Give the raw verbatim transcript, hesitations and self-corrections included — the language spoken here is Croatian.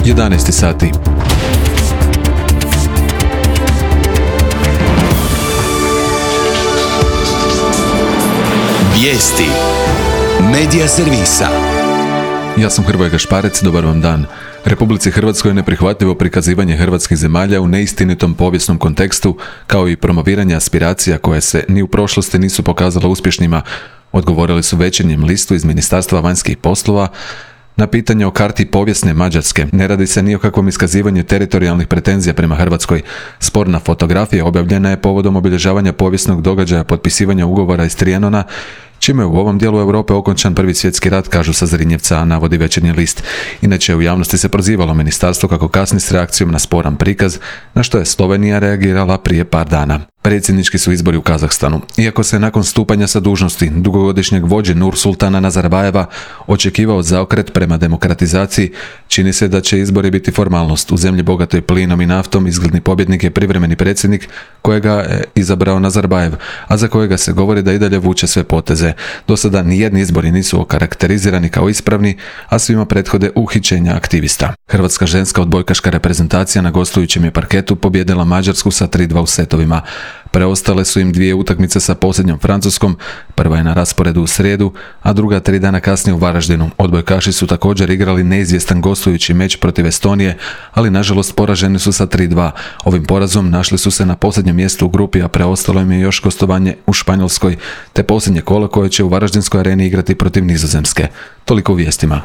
jedanaest sati. Vijesti Medija servisa. Ja sam Hrvoje Gašparec, dobar vam dan. Republici Hrvatskoj je neprihvatljivo prikazivanje hrvatskih zemalja u neistinitom povijesnom kontekstu, kao i promoviranje aspiracija koje se ni u prošlosti nisu pokazale uspješnima, odgovorili su Večernjem listu iz Ministarstva vanjskih poslova. Na pitanje o karti povijesne Mađarske ne radi se ni o kakvom iskazivanju teritorijalnih pretenzija prema Hrvatskoj. Sporna fotografija objavljena je povodom obilježavanja povijesnog događaja potpisivanja ugovora iz Trianona, čime je u ovom dijelu Europe okončan Prvi svjetski rat, kažu sa Zrinjevca, navodi Večernji list. Inače, u javnosti se prozivalo ministarstvo kako kasni s reakcijom na sporan prikaz, na što je Slovenija reagirala prije par dana. Predsjednički su izbori u Kazahstanu. Iako se nakon stupanja sa dužnosti dugogodišnjeg vođe Nursultana Nazarbajeva očekivao zaokret prema demokratizaciji, čini se da će izbori biti formalnost. U zemlji bogatoj plinom i naftom izgledni pobjednik je privremeni predsjednik kojega je izabrao Nazarbajev, a za kojega se govori da i dalje vuče sve poteze. Do sada nijedni izbori nisu okarakterizirani kao ispravni, a svima prethode uhićenja aktivista. Hrvatska ženska odbojkaška reprezentacija na gostujućem je parketu pobijedila Mađarsku sa tri dva u setovima. Preostale su im dvije utakmice sa posljednjom Francuskom, prva je na rasporedu u srijedu, a druga tri dana kasnije u Varaždinu. Odbojkaši su također igrali neizvjestan gostujući meč protiv Estonije, ali nažalost poraženi su sa tri dva. Ovim porazom našli su se na posljednjem mjestu u grupi, a preostalo im je još gostovanje u Španjolskoj, te posljednje kolo koje će u Varaždinskoj areni igrati protiv Nizozemske. Toliko u vijestima.